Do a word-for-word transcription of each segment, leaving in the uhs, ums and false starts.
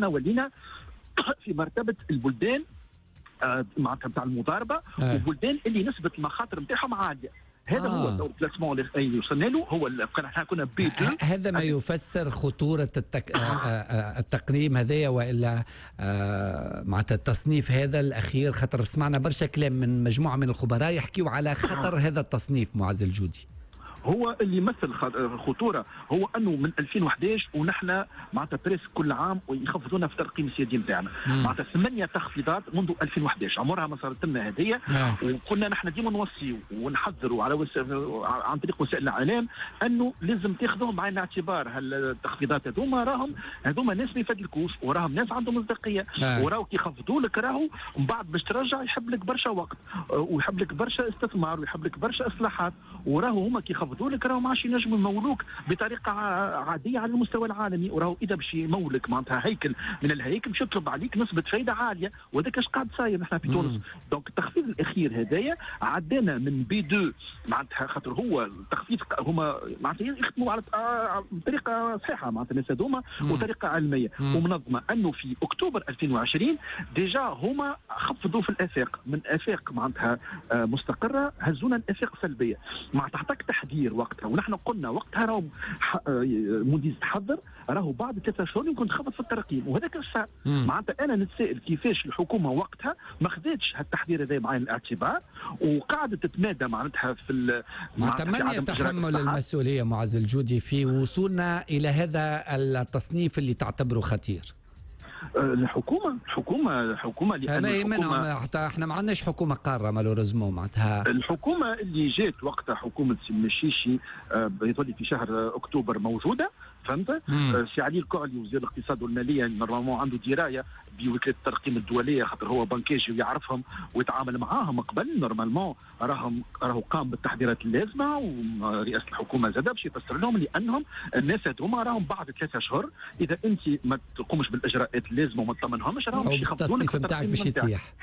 ولينا في مرتبه البلدان معناتها نتاع المضاربة وبلدان اللي نسبه المخاطر نتاعهم عالية. هذا آه. هو ال classement اللي وصلنا له، هو احنا كنا B اثنين. هذا ما يفسر خطورة التك... التقييم هذايا والا معناتها التصنيف هذا الاخير، خاطر سمعنا برشا كلام من مجموعة من الخبراء يحكيوا على خطر هذا التصنيف. معز الجودي، هو اللي يمثل خطورة هو انه من ألفين وأحد عشر ونحن معناتها presque كل عام ويخفضونا في الترقيم السيادي نتاعنا، معناتها ثمانية تخفيضات منذ ألفين وأحد عشر عمرها ما صارت لنا هذيا. وكنا نحن ديما نوصيو ونحذروا على وس... عن طريق وسائل الاعلام انه لازم تاخذوهم بعين الاعتبار هالتخفيضات هذوما، راهم هذوما ناس ما يفدلكوش وراهم ناس عندهم مصداقية، وراهو كي يخفضوا لك راهو من بعد باش ترجع يحب لك برشا وقت ويحب لك برشا استثمار ويحب لك برشا اصلاحات، وراهو هما كي يخفضوا لك راهو ما عادش ينجموا يمولوك بطريقة عادية على المستوى العالمي، وراهو اذا باش يمولك معناتها هيكل من الهيكل باش يطلب عليك نسبه فايده عالية، وهذاك اش قاعد صاير نحن في تونس. donc التخفيض الاخير هذايا عدانا من B اثنين معناتها، خاطر هو التخفيض هما معناتها يخدموا على بطريقة صحيحه معناتها الناس هذوما وطريقه علمية ومنظمة، انه في اكتوبر ألفين وعشرين déjà هما خفضوا في الافاق من افاق معناتها مستقره هزونا الافاق سلبية، معناتها عطاك تحذير وقتها، ونحن قلنا وقتها راهو موديز تحذر راهو بعد ثلاثة شهور يمكن تخفض في الترقيم، وهذاك الصار. معناتها انا نتسائل كيفاش الحكومة وقتها ما خذتش هالتحذير هذا بعين الاعتبار وقعدت تتمادى معناتها في معناتها. من يتحمل المسؤولية معز الجودي في وصولنا الى هذا التصنيف اللي تعتبره خطير؟ الحكومة الحكومة الحكومة لان الحكومة حتى احنا ما عندناش حكومة قارة malheureusement. معناتها الحكومة اللي جات وقتها حكومة سي المشيشي يظل في شهر اكتوبر موجودة، فهمت؟ سي علي الكعلي وزير الاقتصاد والمالية normalement عنده دراية بوكاله الترقيم الدولية، خاطر هو banquier ويعرفهم ويتعامل معاهم قبل، normalement راهم راهو قام بالتحضيرات اللازمة، ورئاسه الحكومة زاد باش يفسر لهم لانهم الناس هذوما راهم بعد ثلاثة اشهر اذا انت ما تقومش بالاجراءات اللازمة وما تطمنهمش راهم باش يخفضوا لك التصنيف نتاعك باش يطيح.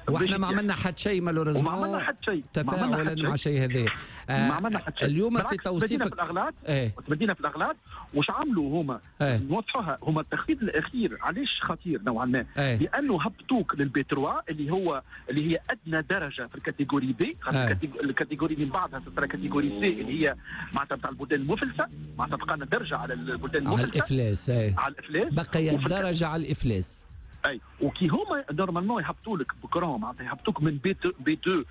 واحنا ما عملنا حتى شيء malheureusement، ما عملنا حتى شيء تفاعلا مع شيء هذا. آه ما عملنا حتى شيء. اليوم في توصيفك في الاغلاط، ايه؟ تبدينا في الاغلاط وش عملوا هما؟ ايه؟ نوضحوها هما التخفيض الاخير علاش خطير نوعا ما؟ ايه؟ لانه هبطوك لل B ثلاثة اللي هو اللي هي ادنى درجه في ال catégorie B، خاطر ايه؟ ال catégorie من بعدها ترى catégorie C اللي هي معناتها نتاع البلدان المفلسه، معناتها بقى لنا درجه على البلدان المفلسه، على الافلاس. ايه؟ على الافلاس، بقي درجه على الافلاس. اي وكي هما normalement يهبطوا لك بكرون معناتها يهبطوك من B B اثنين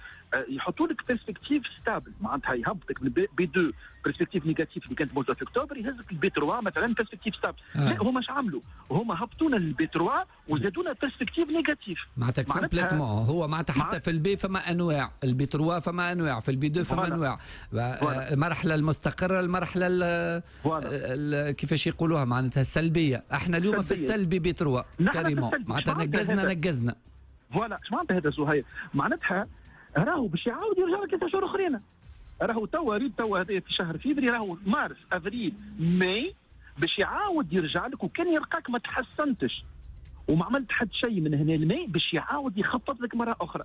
يحطوا لك perspective stable، معناتها يهبطك من B اثنين perspective négative اللي كانت موجودة في اكتوبر يهزك ل B ثلاثة مثلا perspective stable. آه. لا هما اش عملوا؟ هما هبطونا لل B ثلاثة وزادونا perspective négative معناتها complètement. هو معناتها حتى في ال B فما انواع، ال B ثلاثة فما انواع، في ال B اثنين فما انواع، المرحلة المستقره، المرحلة ال كيفاش يقولوها معناتها السلبية. احنا اليوم في السلبي B ثلاثة carrément، معناتها نقزنا نقزنا. voilà اش معناتها هذا زهير؟ معناتها راهو باش يعاود يرجع لك ثلاثة شهور اخرين. راهو توا ريت توا هذا في شهر فيفري، راهو مارس افريل ماي باش يعاود يرجع لك، وكان يلقاك ما تحسنتش وما عملت حد شيء من هنا لماي باش يعاود يخفض لك مرة اخرى.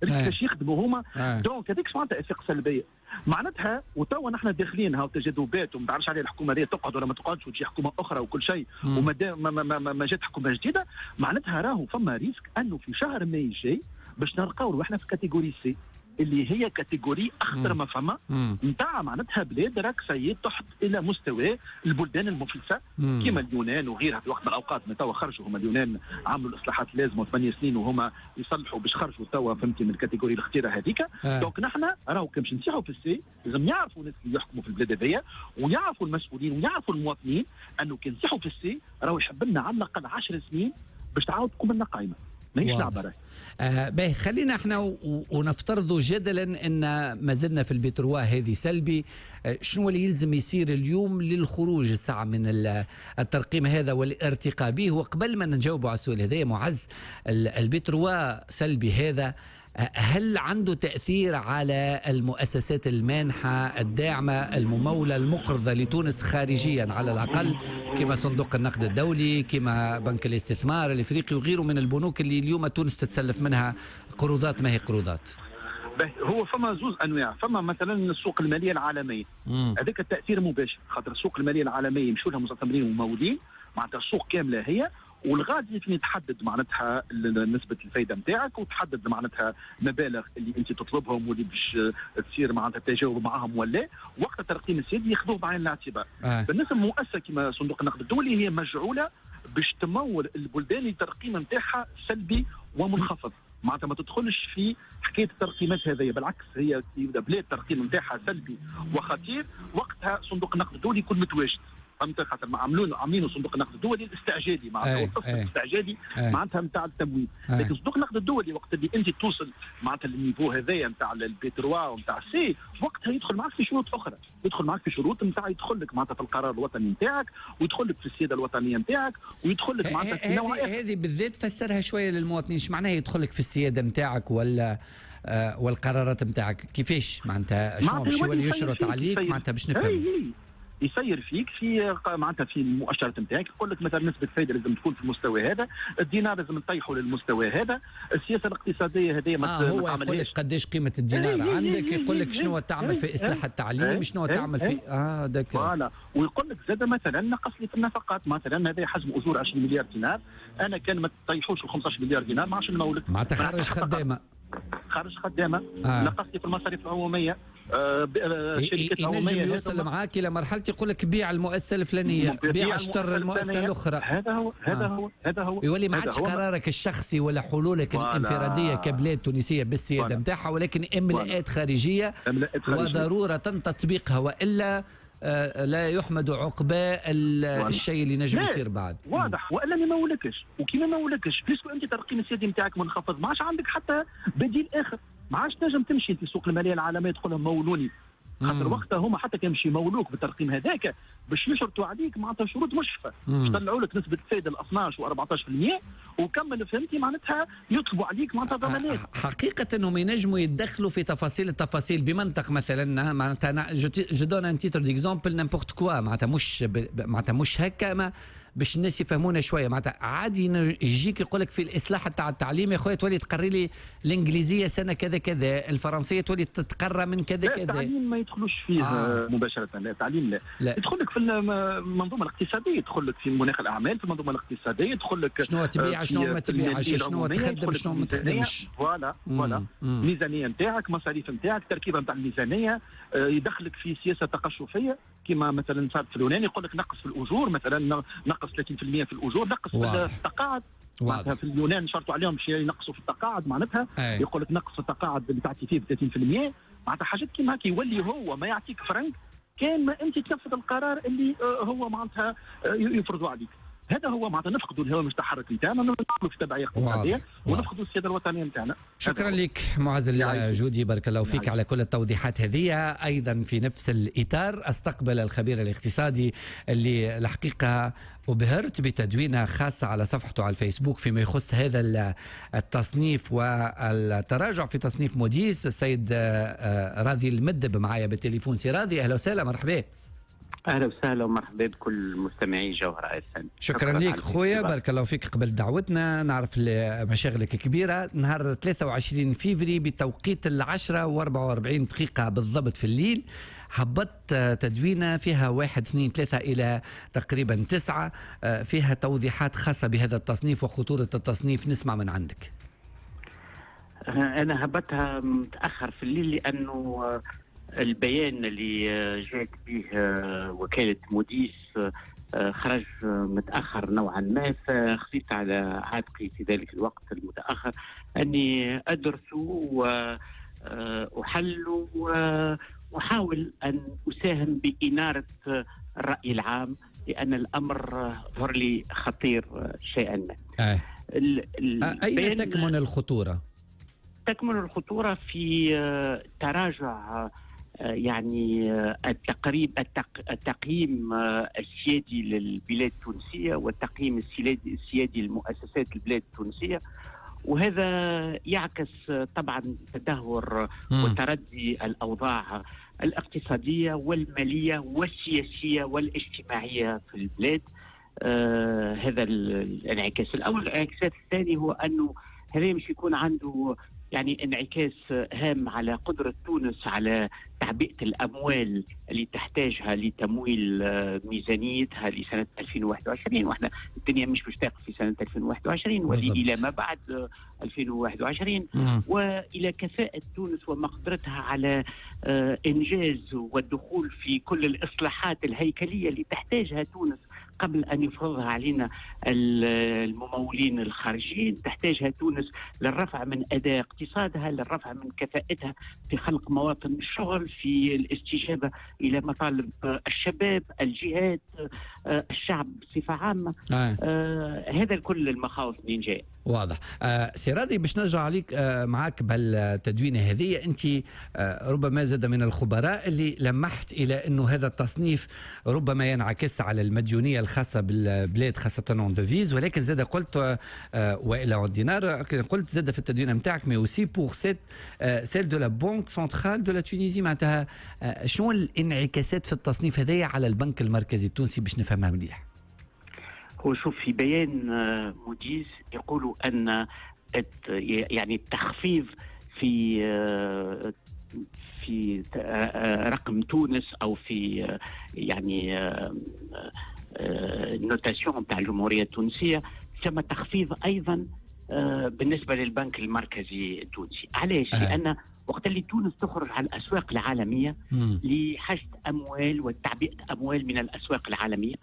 باش يخدموا هما. donc هذيك معناتها افاق سلبية معناتها. وتوا نحن داخلين هاو تجاذبات وما تعرفش عليه الحكومة هذه تقعد ولا ما تقعدش وتجي حكومة اخرى وكل شيء، وما ما, ما, ما, ما جات حكومة جديدة، معناتها راهو فما risque انه في شهر ماي الجاي باش نلقاو روحنا في catégorie C اللي هي catégorie اخطر ما فما نتاع معناتها بلاد راك سيد تحت الى مستوى البلدان المفلسه كما اليونان وغيرها في وقت من الاوقات. ما توا خرجوا هما اليونان عملوا الاصلاحات اللازمة ثمانية سنين وهما يصلحوا باش خرجوا توا فهمتي من ال catégorie الخطيرة هذيك. آه. donc نحن راهو كي باش نطيحوا في ال C لازم يعرفوا الناس اللي يحكموا في البلاد هذيا ويعرفوا المسؤولين ويعرفوا المواطنين انه كي نطيحوا في ال C راهو يحب لنا على الاقل عشر سنين باش تعاود تقوم لنا قائمة. ماهيش لعبه راهي. آه باهي، خلينا احنا ونفترضوا جدلا ان ما زلنا في ال B trois هذه سلبي، آه شنو اللي يلزم يصير اليوم للخروج الساعة من الترقيم هذا والارتقاء به؟ وقبل ما نجاوبوا على السؤال هذا معز، ال B trois سلبي هذا هل عنده تأثير على المؤسسات المانحة الداعمة الممولة المقرضة لتونس خارجيا على الأقل، كما صندوق النقد الدولي، كما بنك الاستثمار الإفريقي وغيره من البنوك اللي اليوم تونس تتسلف منها قروضات ما هي قروضات؟ هو فما زوز أنواع، فما مثلا السوق المالية العالمية، هذاك التأثير مباشر خاطر السوق المالية العالمية يمشوا لها مستثمرين وممولين، معناتها السوق كاملة هي، والغادي فين تحدد معناتها نسبه الفايدة نتاعك، وتحدد معناتها مبالغ اللي انت تطلبهم واللي باش تصير معناتها تجاوب معاهم ولا. وقت الترقيم السيادي ياخذوه بعين الاعتبار. آه. بالنسبة للمؤسسه كما صندوق النقد الدولي هي مجعوله باش تمول البلدان اللي الترقيم نتاعها سلبي ومنخفض، معناتها ما تدخلش في حكاية الترقيمات هذيا، بالعكس هي بلاد الترقيم نتاعها سلبي وخطير وقتها صندوق النقد الدولي يكون متواجد. فهمت؟ خاطر عاملين عاملينه صندوق النقد الدولي الاستعجالي، معناتها القسط الاستعجالي معناتها نتاع التمويل. لكن صندوق النقد الدولي وقت اللي انت توصل معناتها لل niveau هذايا نتاع ال B trois ونتاع C، وقتها يدخل معك في شروط اخرى، يدخل معك في شروط نتاع يدخل لك معناتها في القرار الوطني نتاعك، ويدخل لك في السيادة الوطنية نتاعك، ويدخل لك معناتها في نوع هذه بالذات فسرها شوية للمواطنين، ايش معناها يدخل لك في السيادة نتاعك ولا آه والقرارات نتاعك؟ كيفاش معناتها شنو باش يولي يشرط عليك معناتها باش نفهم؟ يسير فيك في معناتها في المؤشرات نتاعك، يقول لك مثلا نسبه الفائدة لازم تكون في المستوى هذا، الدينار لازم نطيحه للمستوى هذا، السياسة الاقتصادية هذه ما آه هو يقول لك قداش قيمة الدينار ايه عندك، يقول لك شنو تعمل في اصلاح التعليم، شنو تعمل في اه d'accord voilà. ويقول لك زاد مثلا نقص لي في النفقات، مثلا هذا حجم اجور عشرين مليار دينار، انا كان ما تطيحوش ال خمسطاش مليار دينار ما عادش نمولك، معناتها خرج خدامه، خرج خدامه، آه. نقص لي في المصاريف العمومية، آه شركات العمومية. ينجم يوصل معاك الى مرحلة يقول لك بيع المؤسسة الفلانية، بيع اشتر المؤسسة الاخرى. هذا هو هذا آه. هو هذا هو يولي ما عادش قرارك الشخصي ولا حلولك الانفراديه كبلاد تونسية بالسياده نتاعها، ولكن املاءات خارجية وضرورة تطبيقها، والا آه لا يحمد عقبى الشيء اللي نجم يصير بعد. واضح. والا ما يمولكش، وكي ما يمولكش puisque انت ترقيم السيادي نتاعك منخفض، ما عادش عندك حتى بديل اخر، ما عادش تنجم تمشي في السوق المالية العالمية تقول لهم مولوني، خاطر وقتها هما حتى كان باش يمولوك بالترقيم هذاك باش يشرطوا عليك معناتها شروط مشفه، باش يطلعوا لك نسبه الفائدة ال اثناش و أربعطاش بالمية وكمل فهمتي معناتها يطلبوا عليك معناتها ضمانات. حقيقة انهم ينجموا يتدخلوا في تفاصيل التفاصيل بمنطق مثلا معناتها je donne un titre d'exemple n'importe quoi، معناتها مش معناتها مش هكا، ما باش الناس يفهمونا شوية. معناتها عادي يجيك يقول لك في الاصلاح تاع التعليم يا خويا تولي تقري لي الانجليزية سنة كذا كذا، الفرنسية تولي تتقرى من كذا كذا. التعليم ما يدخلوش فيه آه. مباشرة، لا التعليم لا, لا. يدخل لك في المنظومة الاقتصادية، يدخل لك في مناخ الاعمال، في المنظومة الاقتصادية، يدخل لك شنو تبيع شنو ما تبيعش، شنو تخدم شنو ما تخدمش. voilà voilà الميزانية نتاعك، مصاريف نتاعك، التركيبة نتاع الميزانية، يدخلك في سياسة تقشفيه كما مثلا صارت في اليونان، يقول لك نقص في الاجور مثلا، نقص ثلاثين بالمية في الاجور، نقص في التقاعد. معناتها في اليونان شرطوا عليهم باش ينقصوا في التقاعد، معناتها يقول لك نقص التقاعد اللي تعطي فيه ب ثلاثين بالمية، معناتها حاجات كيما هكا. يولي هو ما يعطيك فرنك كان ما انت تنفذ القرار اللي هو معناتها يفرضوا عليك. هذا هو معناتها نفقدوا الهوامش التحرك نتاعنا، ندخلوا في تبعية اقتصادية ونفقدوا السيادة الوطنية نتاعنا. شكرا لك معز الجودي، بارك الله فيك على كل التوضيحات هذه. ايضا في نفس الاطار استقبل الخبير الاقتصادي اللي الحقيقة أبهرت بتدوينه خاصة على صفحته على الفيسبوك فيما يخص هذا التصنيف والتراجع في تصنيف موديس، السيد راضي المدب معايا بالتليفون. سي راضي، اهلا وسهلا، مرحبا. اهلا وسهلا ومرحبا بكل مستمعي جوهرة اف ام. شكرا لك خويا، بارك الله فيك قبل دعوتنا، نعرف مشاغلك كبيرة. نهار ثلاثة وعشرين فيفري بتوقيت العشرة وأربعة وأربعين دقيقة بالضبط في الليل هبطت تدوينه فيها واحد اثنين ثلاثة إلى تقريبا تسعة، فيها توضيحات خاصة بهذا التصنيف وخطورة التصنيف. نسمع من عندك. أنا هبطتها متأخر في الليل لأنه البيان اللي جاءت به وكالة موديس خرج متأخر نوعا ما، فخفيت على عاتقي في ذلك الوقت المتأخر أني أدرسه وأحله وأحاول أن أساهم بإنارة الرأي العام، لأن الأمر ظهر لي خطير شيئا ما. آه. أين تكمن الخطورة؟ تكمن الخطورة في تراجع يعني التقريب التقييم السيادي للبلاد التونسية والتقييم السيادي لمؤسسات البلاد التونسية، وهذا يعكس طبعا تدهور وتردي الأوضاع الاقتصادية والمالية والسياسية والاجتماعية في البلاد. آه هذا الانعكاس الأول. الانعكاس الثاني هو أنه هذا مش يكون عنده يعني انعكاس هام على قدرة تونس على تعبئة الأموال اللي تحتاجها لتمويل ميزانيتها لسنة ألفين وواحد وعشرين، واحنا الدنيا مش باش تقف في سنة ألفين وواحد وعشرين وإلى ما بعد ألفين وواحد وعشرين، مم. وإلى كفاءة تونس ومقدرتها على إنجاز والدخول في كل الإصلاحات الهيكلية اللي تحتاجها تونس قبل أن يفرضها علينا الممولين الخارجيين. تحتاجها تونس للرفع من أداء اقتصادها، للرفع من كفاءتها في خلق مواطن الشغل، في الاستجابة إلى مطالب الشباب، الجهات، الشعب بصفة عامة. آه. آه هذا الكل المخاوف من جاي. واضح. آه سي راضي، باش نرجع عليك آه معاك بالتدوينة هذه، أنت آه ربما زاد من الخبراء اللي لمحت إلى أنه هذا التصنيف ربما ينعكس على المديونية الخاصة بالبلاد خاصة en devises، ولكن زاد قلت آه وإلى en دينار، قلت زاد في التدوينة نتاعك mais aussi pour cette celle de la Banque centrale de la Tunisie. معناتها آه شنو الانعكاسات في التصنيف هذايا على البنك المركزي التونسي باش نفهمها مليح؟ هو شوف، في بيان موديز يقولوا أن يعني التخفيض في في رقم تونس أو في يعني ال notation تاع الجمهورية التونسية، ثم تخفيض أيضا بالنسبة للبنك المركزي التونسي. علاش؟ آه. لأن وقت اللي تونس تخرج على الأسواق العالمية لحشد أموال وتعبئة أموال من الأسواق العالمية،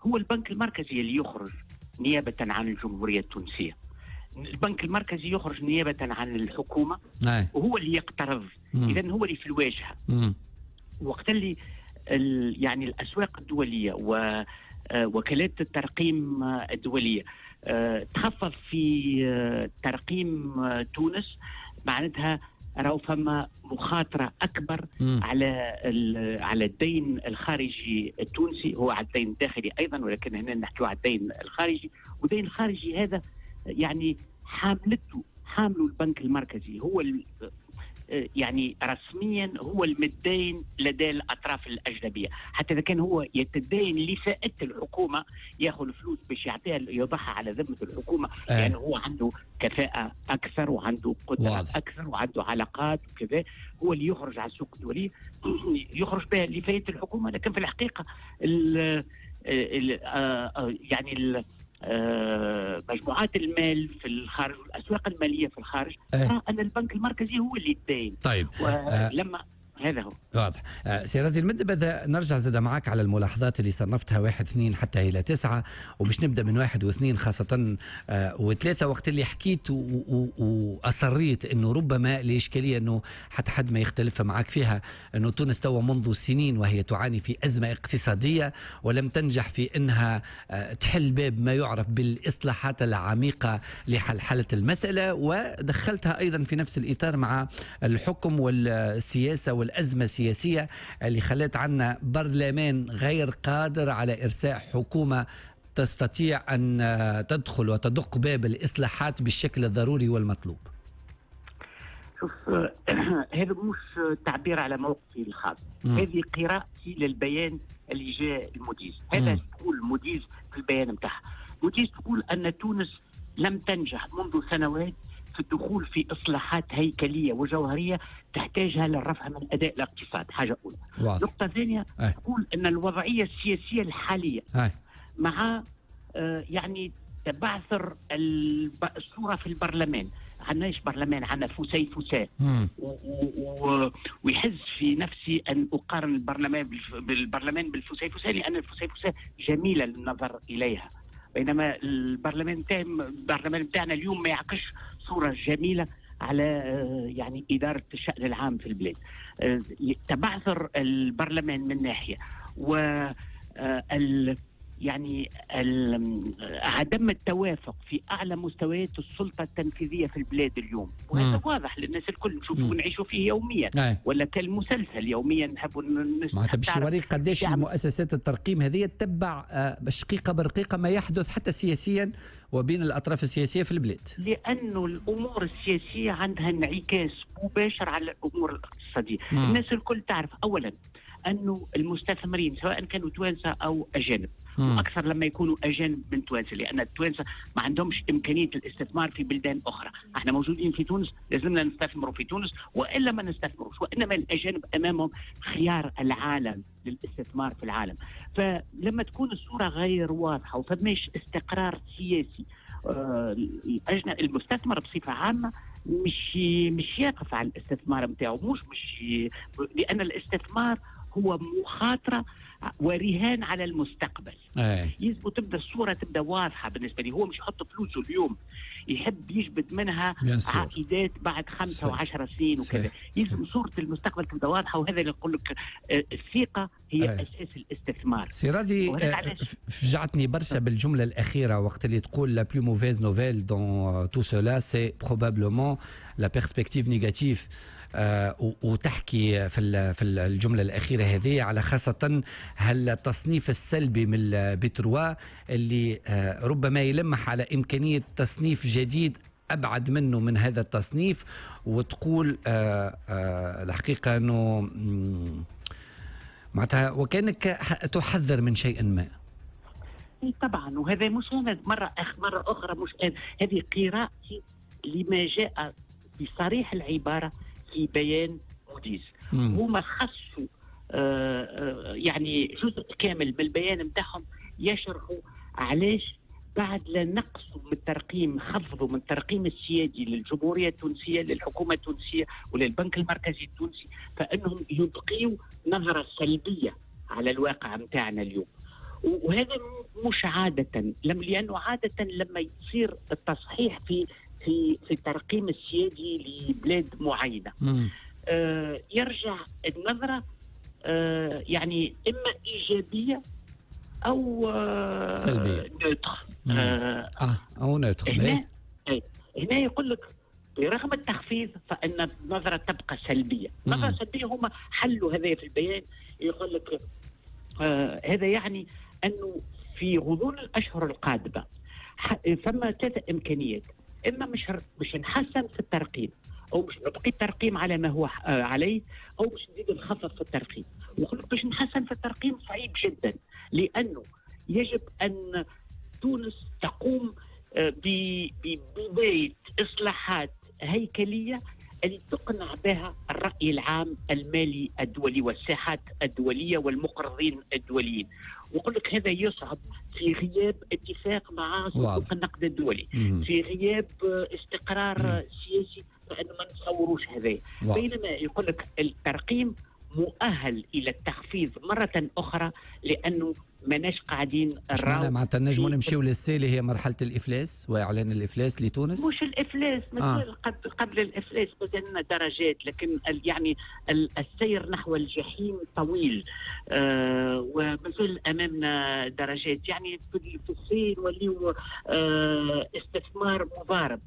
هو البنك المركزي اللي يخرج نيابة عن الجمهورية التونسية. البنك المركزي يخرج نيابة عن الحكومة، آه. وهو اللي يقترض، إذن هو اللي في الواجهة. مم. وقت اللي يعني الأسواق الدولية ووكالات الترقيم الدولية تخفض في ترقيم تونس، معناتها راهو فما مخاطرة أكبر مم. على على الدين الخارجي التونسي، هو على الدين الداخلي أيضا، ولكن هنا نحكي على الدين الخارجي. والدين الخارجي هذا يعني حاملته حامله البنك المركزي، هو يعني رسميا هو المدين لدى الأطراف الأجنبية، حتى إذا كان هو يتدين لفائدة الحكومة، ياخذ فلوس باش يعطيها يضعها على ذمة الحكومة، لأنه يعني هو عنده كفاءة أكثر وعنده قدرة واضح. أكثر وعنده علاقات وكذا، هو اللي يخرج على السوق الدولي يخرج بها لفائدة الحكومة. لكن في الحقيقة ال ال يعني ال مجموعات المال في الخارج والأسواق المالية في الخارج ترى أن البنك المركزي هو اللي يتدين. طيب، ولما آه هذا هو واضح. آه سي راضي المدب، نرجع زاد معك على الملاحظات اللي صنفتها واحد اثنين حتى إلى تسعة، وباش نبدأ من واحد واثنين خاصة آه وثلاثة، وقت اللي حكيت وأصريت أنه ربما الإشكالية أنه حتى حد ما يختلف معك فيها، أنه تونس توا منذ سنين وهي تعاني في أزمة اقتصادية ولم تنجح في أنها آه تحل باب ما يعرف بالإصلاحات العميقة لحلحلة المسألة، ودخلتها أيضا في نفس الإطار مع الحكم والسياسة وال الأزمة السياسية اللي خلت عنا برلمان غير قادر على إرساء حكومة تستطيع أن تدخل وتدق باب الإصلاحات بالشكل الضروري والمطلوب. شوف، هذا مش تعبير على موقفي الخاص، هذه قراءتي للبيان اللي جاء الموديز. هذا تقول موديز في البيان نتاعها، موديز تقول أن تونس لم تنجح منذ سنوات في الدخول في إصلاحات هيكلية وجوهرية تحتاجها للرفع من أداء الاقتصاد، حاجة أولى. واضح. نقطة ثانية، تقول أن الوضعية السياسية الحالية أي. مع آه يعني تبعثر الصورة في البرلمان، عندناش برلمان، عندنا فسيفساء، ويحز في نفسي أن أقارن البرلمان بالبرلمان بالفسيفساء، لأن الفسيفساء جميلة للنظر إليها، بينما البرلمان تاع البرلمان بتاعنا اليوم ما يعكسش صورة جميلة على يعني إدارة الشأن العام في البلاد. تبعثر البرلمان من ناحية، و يعني عدم التوافق في أعلى مستويات السلطة التنفيذية في البلاد اليوم، وهذا واضح للناس الكل، نشوفه ونعيشوا فيه يوميا، أي. ولا كالمسلسل يوميا نحبوا معناتها باش يوريك قداش المؤسسات الترقيم هذه تتبع بشقيقة برقيقة ما يحدث حتى سياسيا وبين الأطراف السياسية في البلاد، لأنه الأمور السياسية عندها انعكاس مباشر على الأمور الاقتصادية. مم. الناس الكل تعرف أولا أنه المستثمرين سواء كانوا توانسة أو أجانب، وأكثر لما يكونوا أجانب من توانسة، لأن التوانسة ما عندهمش إمكانية الاستثمار في بلدان أخرى. احنا موجودين في تونس، لازمنا نستثمروا في تونس وإلا ما نستثمروش، وإنما الأجانب أمامهم خيار العالم للاستثمار في العالم. فلما تكون الصورة غير واضحة وفماش استقرار سياسي، المستثمر بصفة عامة مش مش يقف على الاستثمار نتاعو، مش مش لأن الاستثمار هو مخاطرة ورهان على المستقبل. يجب تبدا الصورة تبدا واضحة بالنسبة لي. هو مش يحط فلوسه اليوم، يحب يجبد منها عائدات بعد خمسة وعشرة سنين وكذا. يلزم صورة المستقبل تبدا واضحة، وهذا اللي نقول لك الثقة هي أي. أساس الاستثمار. سي راضي، فجعتني برشا بالجملة الأخيرة وقت اللي تقول la plus mauvaise nouvelle dans tout cela c'est probablement la perspective négative، آه وتحكي في في الجملة الأخيرة هذه على خاصة هالتصنيف السلبي من ال B trois اللي آه ربما يلمح على إمكانية تصنيف جديد أبعد منه من هذا التصنيف، وتقول آه آه الحقيقة أنه معناتها وكأنك تحذر من شيء ما. طبعا، وهذا مش أنا مرة مرة أخرى، مش أنا، هذه قراءتي لما جاء بصريح العبارة في بيان موديز. هما خصوا آه يعني جزء كامل من البيان نتاعهم يشرحوا علاش بعد لا نقصوا من الترقيم، خفضوا من الترقيم السيادي للجمهورية التونسية، للحكومة التونسية وللبنك المركزي التونسي، فإنهم يبقيوا نظرة سلبية على الواقع نتاعنا اليوم. وهذا مش عادة، لأنه عادة لما يصير التصحيح في في في الترقيم السيادي لبلاد معينة آه يرجع النظرة آه يعني إما إيجابية أو آه سلبية neutre. آه, آه أو neutre. هنا, هنا يقول لك برغم التخفيض فإن النظرة تبقى سلبية. نظرة سلبية هما حلوا هذا في البيان، يقول لك آه هذا يعني أنه في غضون الأشهر القادمة فما ثلاث إمكانيات: إما مش مش نحسن في الترقيم، أو مش نبقي الترقيم على ما هو عليه، أو مش نزيد نخفض في الترقيم. ويقول لك باش نحسن في الترقيم صعيب جدا، لأنه يجب أن تونس تقوم ببداية إصلاحات هيكلية اللي تقنع بها الرأي العام المالي الدولي والساحات الدولية والمقرضين الدوليين. ويقول لك هذا يصعب في غياب اتفاق مع صندوق النقد الدولي، مم. في غياب استقرار مم. سياسي، فإنه ما نتصوروش هذا. بينما يقول لك الترقيم مؤهل إلى التخفيض مرة أخرى، لأنه ماناش قاعدين نراو. معناتها نجموا نمشيو لل C اللي هي مرحلة الإفلاس وإعلان الإفلاس لتونس؟ مش الإفلاس، مازال آه. قبل قبل الإفلاس مازلنا درجات، لكن يعني السير نحو الجحيم طويل، آه ومازال أمامنا درجات. يعني في الصين وليو آه استثمار مضارب.